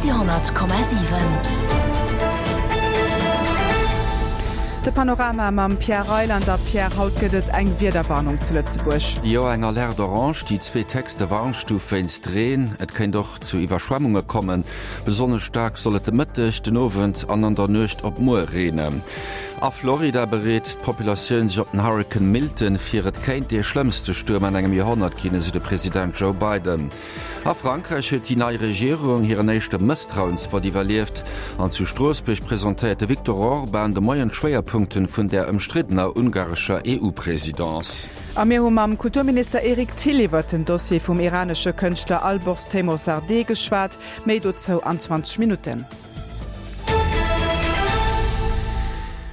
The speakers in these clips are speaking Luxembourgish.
Radio 10,7. De Panorama mam Pierre Reyland a Pierre, haut gëtt et eng Wiederwarnung zu Lëtzebuerg. Jo, eng Alerte orange, déi zweethéchste Warnstuf wéinst Reen. Et kéint och zu Iwwerschwemmunge kommen. Besonnesch staark soll et de Mëtteg, den Owend an an der Nuecht op muer reenen. A Florida bereet d'Populatioun sech op den Hurrikan Milton vir. Et kéint dee schlëmmste Stuerm an engem Joerhonnert ginn, esou de President Joe Biden. A Frankräich huet déi nei Regierung hiren éischte Mësstrauensvott iwwerlieft. An zu Stroossbuerg presentéiert de Viktor Orban de Moien d'Schwéierpunkten vun der ëmstriddener ungarescher EU-Presidence. A mir hu mam Kulturminister Eric Thill iwwert den Dossier vum iranesche Kënschtler Alborz Teymoorzadeh geschwat. Méi dozou an 20 Minutten.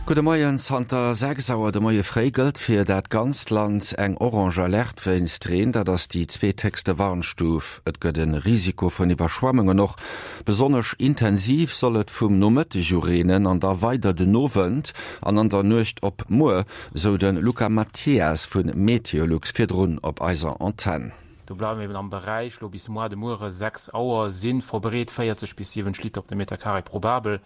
Gudde Moien, Zanter 6 Auer de Moie fréi gëllt fir dat ganzt Land eng orange Alerte wéinst Reen. Dat ass déi zweethéchste Warnstuf. Et gëtt e Risiko vun Iwwerschwemmungen. Och besonnesch intensiv soll et vum Nomëtteg u reenen an da weider den Owend an an der Nuecht op muer, sou de Luca Mathias vu Meteolux virdrun op eiser Antenn. Do bleiwe mir eben am Beräich, lo bis moar de Muere 6 Auer si verbreet 40 bis 70 Liter op de Meter Carré probabel.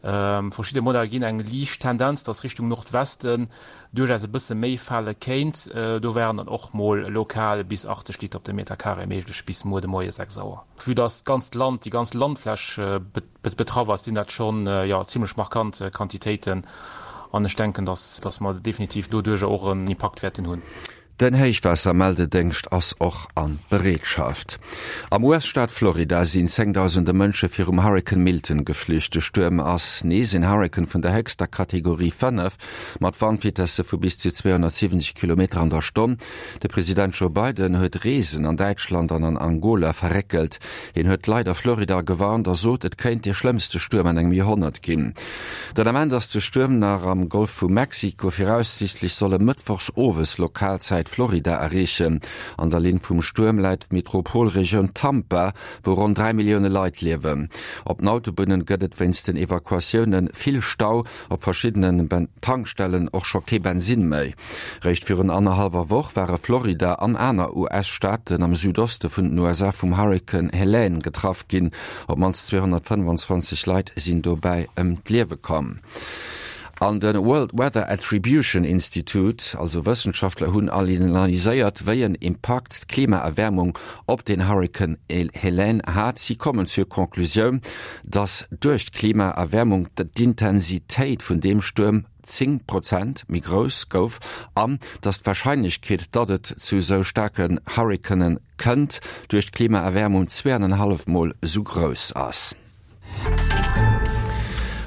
Verschidde Modeller ginn eng liicht Tendenz, dass Richtung Nordwesten duerchaus e bësse méi fale kéint. Do wären dann och mol lokal bis 80 Liter op de Meter Carré méiglech bis muer de Moie 6 Auer. Vue dass d'ganzt Land, déi ganz Landfläch betraff ass, sinn dat schonn, jo, zimmlech markant Quantitéiten an ech denken, dass dass mer definitiv doduercher och en Impakt wäerten hunn. Den Héichwaassermeldedéngscht ass och a Bereetschaft. Am US-Staat Florida sinn zéngdausende Mënsche virum Hurrikan Milton geflücht. De Stuerm ass nees een Hurrikan vun der héchster Kategorie 5, mat Wandvitesse vu bis zu 270 Kilometer an der Stonn. De President Joe Biden huet Reesen an Däitschland an an Angola verréckelt. Hien huet d'Leit a Florida gewarnt a sot, et kéint dee schlëmmste Stuerm an engem Joerhonnert ginn. Den Ament ass de Stuerm nach am Golf vu Mexiko. Viraussiichtlech soll e mëttwochs owes Lokalzäit Florida erreechen. An der Linn vum Stuerm läit d'Metropolregioun Tampa, wou ronn 3 Millioune Leit liewen. Op den Autobunnen gëtt et wéinst den Evakuatioune vill Stau, op verschiddenen Tankstellen och scho kee Bensinn méi. Réischt virun annerhallwer Woch ware Florida an aner US-Staaten am Südoste vun den USA vum Hurrikan Helene getraff ginn. Op d'mannst 225 Leit sinn dobäi ëm d'Liewe komm. An de World Weather Attribution Institute, also Wëssenschaftler, hunn analyséiert, wéi en Impakt d'Klimaerwäermung op den Hurrikan Helene hat. Si kommen zur Conclusioun, datt duerch d'Klimaerwäermung d'Intensitéit vun deem Stuerm 10 Prozent méi grouss gouf an datt d'Warscheinlechkeet, datt et zu esou staarken Hurrikane kënnt, duerch d'Klimaerwäermung zweeanenhallef Mol esou grouss ass.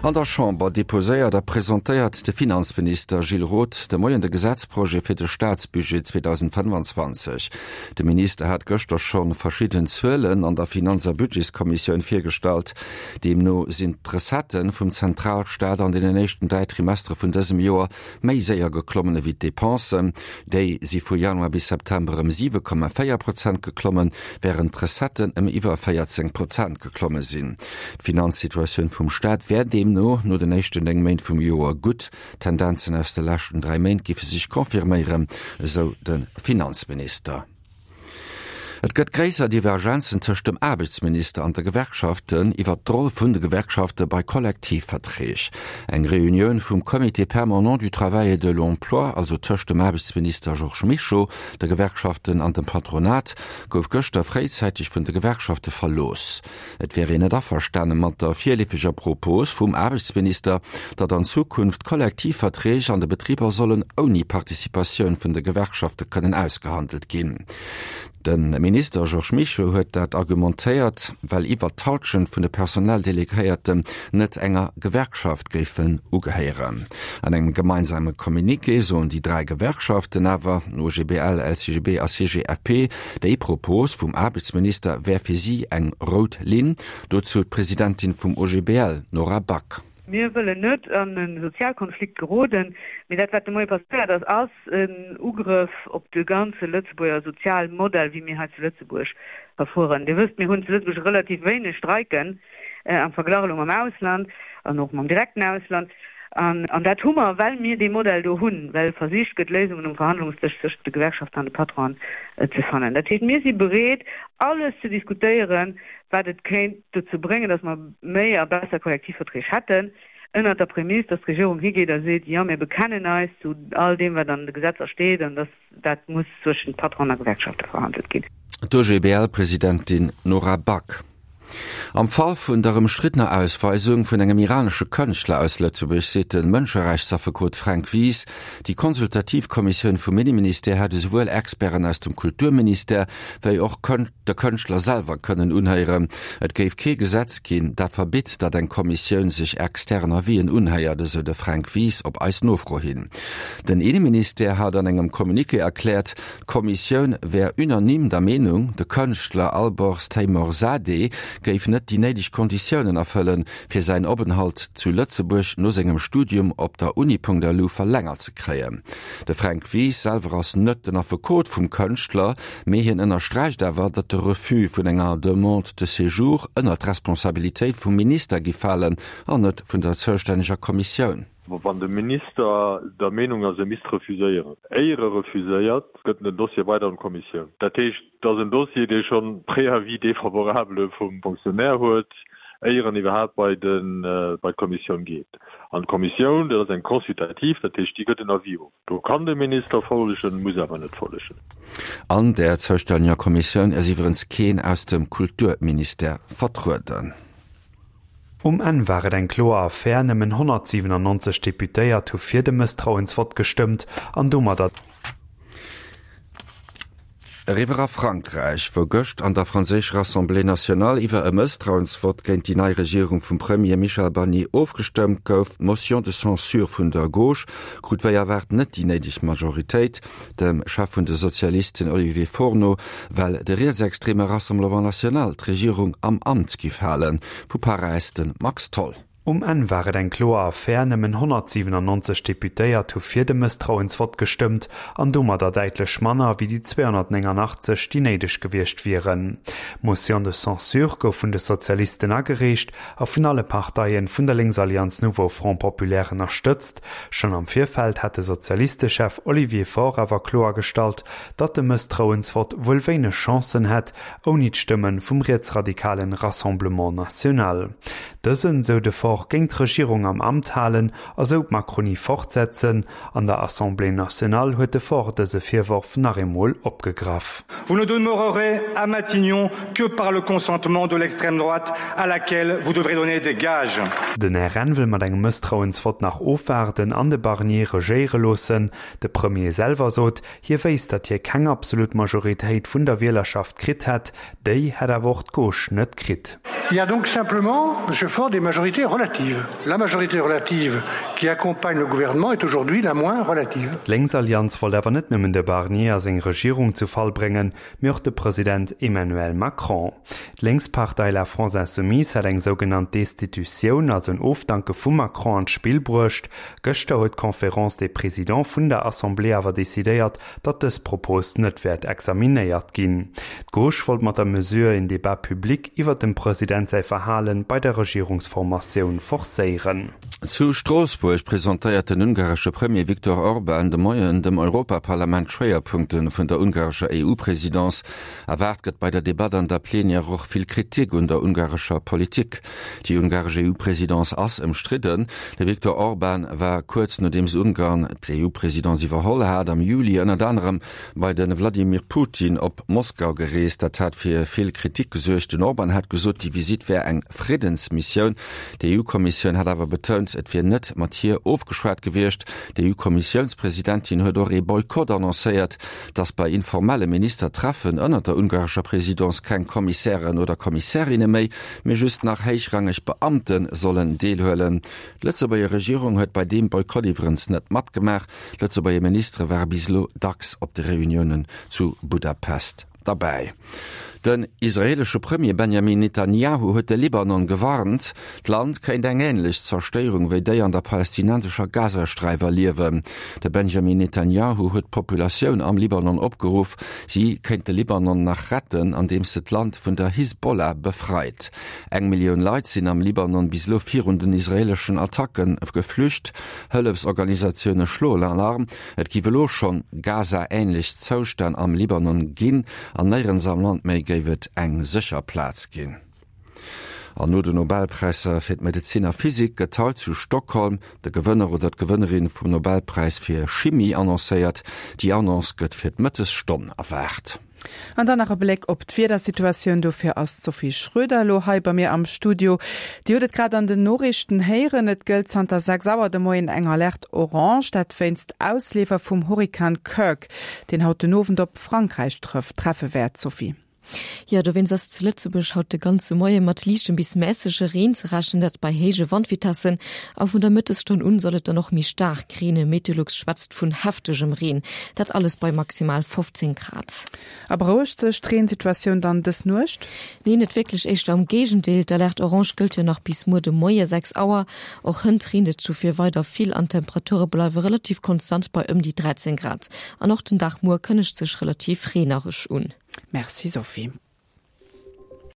An der Chamber deposéiert a presentéiert de Finanzminister Gilles Roth de Moien de Gesetzprojet fir de Staatsbudget 2025. De Minister hat gëschter schonn verschidden Zuelen an der Finanz a Budgetskommissioun virgestallt. Deemno sinn d'Recettë vum Zentralstaat an deenen éischten 3 Trimestere vun dësem Joer méi séier geklommen ewéi d'Depensen. Déi si vu Januar bis September ëm 7,4 Prozent geklommen, wärend d'Recetten ëm iwwer 14 Prozent geklomme sinn. D'Finanzsituatioun vum Staat wär deemno no den éischten 9 Méint vum Joer gutt. D'Tendenzen aus de leschten 3 Méint géife sech confirméieren, esou de Finanzminister. Et gëtt gréisser Divergenzen tëscht dem Aarbechtsminister an de Gewerkschaften iwwert d'Roll vun de Gewerkschafte bei Kollektivverträg. Eng Reunioun vum Comité permanent du travail et de l'emploi, also tëscht dem Aarbechtsminister Georges Mischo, de Gewerkschaften an dem Patronat, gouf gëschter fréizäiteg vun de Gewerkschafte verlooss. Et wär een net averstane mat der virleefeger Propos vum Aarbechtsminister, datt an Zukunft Kollektivverträg an de Betriber sollen ouni Participatioun vun de Gewerkschafte kënnen ausgehandelt ginn. De Minister Georges Mischo huet dat argumentéiert, well iwwert d'Hallschent vun de Personaldelegéierten net enger Gewerkschaft géifen ugehéieren. An engem gemeinsame Communiqué soen déi 3 Gewerkschaften awer, OGBL, LCGB a CGFP, Déi Propos vum Aarbechtsminister wär fir si eng rout Linn. Dozou d'Presidentin vum OGBL, Nora Back. Mir wëllen net an e Sozialkonflikt geroden, mee dat wat de Moie passéiert ass, ass en Ugrëff op de ganze Lëtzebuerger Sozialmodell, wéi mir hei zu Lëtzebuerg verfueren. Dir wësst, mir hunn zu Lëtzebuerg relativ wéineg Streiken am Verglach elo mam Ausland an och mam direkten Ausland. An dat hu mer, well mir dee Modell do hunn, well versicht gëtt, Léisungen um Verhandlungsdësch zwëschent de Gewerkschaften an de Patronen ze fannen. Dat heescht, mir si bereet, alles ze diskutéieren, wat et kéint dozou bréngen, datt mer méi a besser Kollektivverträg hätten, ënnert der Prämiss, datt d'Regierung higeet a seet, Jo, mir bekennen eis zu all deem, wat an de Gesetzer steet, an datt dat muss zwëschent Patronen a Gewerkschafte verhandelt ginn. D'OGBL-Presidentin Nora Back. Am Fall vun der ëmstriddener Ausweisung vun engem iranesche Kënschtler aus Lëtzebuerg seet de Mënscherechtsaffekot Fränk Wies, déi konsultativ Kommissioun vum Inneministère hätt esouwuel Experten aus dem Kulturministère wéi och de Kënschtler selwer kënnen unhéieren. Et géif kee Gesetz ginn, dat verbitt, datt eng Kommissioun sech extern Avisen unhéiert, esou de Fränk Wies op eis Nofro hin. Den Inneministère hat an engem Communiqué erkläert, D'Kommissioun wär unanime der Meenung, de Kënschtler Alborz Teymoorzadeh géif net déi néideg Konditiounen erfëllen, fir säin Openhalt zu Lëtzebuerg no sengem Studium op der Uni.lu verlängert ze kréien. De Fränk Wies selwer ass net den Affekot vum Kënschtler, mee hien ënnersträicht awer, datt de Refus vun enger Demande de séjour ënnert d'Responsabilitéit vum Minister giff falen an net vun der zoustänneger Kommissioun. Wann de Minister der Meenung ass, e misst refuséieren, éier e refuséiert, gëtt en den Dossier weider an d'Kommissioun. Dat heescht, et ass en Dossier, dee schonn Préavis défavorable vum Fonctionnaire huet, éier en iwwerhaapt bei d'Kommissioun geet. An d'Kommissioun, dat ass eng consultativ, dat heescht, déi gëtt en Avis of. Do kann de Minister follegen, muss awer net follegen. An där zoustänneger Kommissioun ass iwwerens keen aus dem Kulturministère vertrueden. Um Enn war et eng kloer Affär, nëmmen 197 Deputéiert hu fir de Mësstrauensvott gestëmmt an domadder. Eriwwer a Frankräich, wou gëscht an der franséischer Assemblée nationale iwwer e Mësstrauensvott géint déi nei Regierung vum Premier Michel Barnier ofgestëmmt gouf. D'Motion de censure vun der Gauche krut wéi erwaart net déi néideg Majoritéit, dem Chef vun de Sozialisten Olivier Faure no, well de rietsextreme Rassemblement National d'Regierung am Amt giff halen. Vu Paräis de Max Tholl. Um Enn war et eng kloer Affär, nëmmen 197 Deputéiert hu fir de Mësstrauensvott gestëmmt an domadder däitlech manner wéi déi 289, déi néideg gewiescht wieren. D'Motion de censure gouf vun de Sozialisten agereecht a vun alle Parteien vun der Lénksallianz Nouveau Front Populaire ënnerstëtzt. Schonn am Virfeld hat de Sozialistechef Olivier Faure awer kloergestallt, datt de Mësstrauensvott wuel wéineg Chancen hätt, ouni d'Stëmme vum rietsradikalen Rassemblement National. Dësen, sou de Faure, géing d'Regierung am Amt halen a sou d'Macronie fortsetzen. An der Assemblée nationale huet de Faure dëse Virworf nach eemol opgegraff. Vous ne demeurerez à Matignon que par le consentement de l'extrême droite à laquelle vous devrez donner des gages. Den RN wëll mat engem Mësstrauensvott nach ofwaarden an de Barnier regéiere loossen. De Premier selwer sot, hie wéisst, datt hie keng absolut Majoritéit vun der Wielerschaft kritt hätt. Déi hätt awer och d'Gauche net kritt. Il y a donc simplement, Monsieur Faure, des majorités relatives. La majorité relative qui accompagne le gouvernement est aujourd'hui la moins relative. D'Lénksallianz wollt awer net nëmmen de Barnier a seng Regierung zu Fall bréngen, mee och de President Emmanuel Macron. D'Lénkspartei La France Insoumise hat eng sougenannt Destitutioun, also en Ofdanke vum Macron, an d'Spill bruecht. Gëschter huet d'Conférence des Présidents vun der Assemblée awer decidéiert, datt dës Propos net wäert examinéiert ginn. D'Gauche wollt mat der Mesure een Débat public iwwer dem President säi Verhale bei der Regierungsformatioun forcéieren. Zu Stroossbuerg presentéiert den ungaresche Premier Viktor Orban de Moien dem Europaparlament d'Schwéierpunkte vun der ungarescher EU-Presidence. Erwaart gëtt bei der Debatt an der Plenière och vill Kritik un der ungarescher Politik. Déi ungaresch EU-Presidence ass ëmstridden. De Viktor Orban war kuerz nodeems Ungarn d'EU-Presidence iwwerholl hat, am Juli ënnert anerem bei de Wladimir Putin op Moskau gereest. Dat hat fir vill Kritik gesuergt. Den Orban hat gesot, déi Visitt wär eng Friddensmissioun. D'EU-Kommissioun hat awer betount, et wier net mat hir ofgeschwat gewiescht. D'EU-Kommissiounspresidentin huet och ee Boykott annoncéiert, datt bei informelle Ministertreffen ënnert der ungarescher Presidence keng Kommissären oder Kommissärinne méi, mee just nach héichrangeg Beamte sollen deelhuelen. D'Lëtzebuerger Regierung huet bei deem Boykott iwwerens net matgemaach. Lëtzebuerger Ministere ware bis elo dacks op de Reuniounen zu Budapest derbäi. Den israeelesche Premier Benjamin Netanjahu huet de Libanon gewarnt, d'Land kéint eng änlech Zerstéierung wéi déi an der palästinensescher Gazasträif erliewen. De Benjamin Netanjahu huet d'Populatioun am Libanon opgeruff, si kéint de Libanon nach retten, andeems se d'Land vun der Hisbollah befreit. Eng Millioun Leit sinn am Libanon bis elo virun den israeeleschen Attacke geflücht. Hëllefsorganisatioune schloen Alarm, et giff elo schonn Gaza-änlech Zoustänn am Libanon ginn. An néierens am Land méi géif et eng sécher Plaz ginn. An no den Nobelpräisser fir d'Medezin a Physik gëtt haut zu Stockholm de Gewënner oder d'Gewënnerin vum Nobelpräis fir Chimie annoncéiert. Déi Annonce gëtt fir d'Mëttesstonn erwaart. An dann nach e Bléck op d'Wiedersituatioun. Dofir ass d'Sophie Schröder elo hei bei mir am Studio. Dir hutt et grad an den Noriichten héieren, Et gëllt zanter 6 Auer de Moien eng Alerte orange, dat wéinst Ausleefer vum Hurrikan Kirk. Deen haut den Owend op Frankräich trëfft, treffe wäert, Sophie. Jo, dowéinst ass zu Lëtzebuerg haut de ganze Moie mat liichtem bis mässege Reen ze rechnen, dat bei héije Wandvitessen. A vun der Mëttesstonn un soll et dann och méi staark reenen, Meteolux schwätzt vun heftegem Reen, dat alles bei maximal 15 Grad. A berouegt sech d'Reensituatioun dann dës Nuecht? Nee, net wierklech, éischter am Géigendeel. D'Alerte orange gëllt jo nach bis muer de Moie 6 Auer. Och hënt reent et dofir weider vill an d'Temperature bleiwe relativ konstant bei ëm déi 13 Grad. An och den Dag muer kënnegt sech relativ reenereg un. Merci Sophie.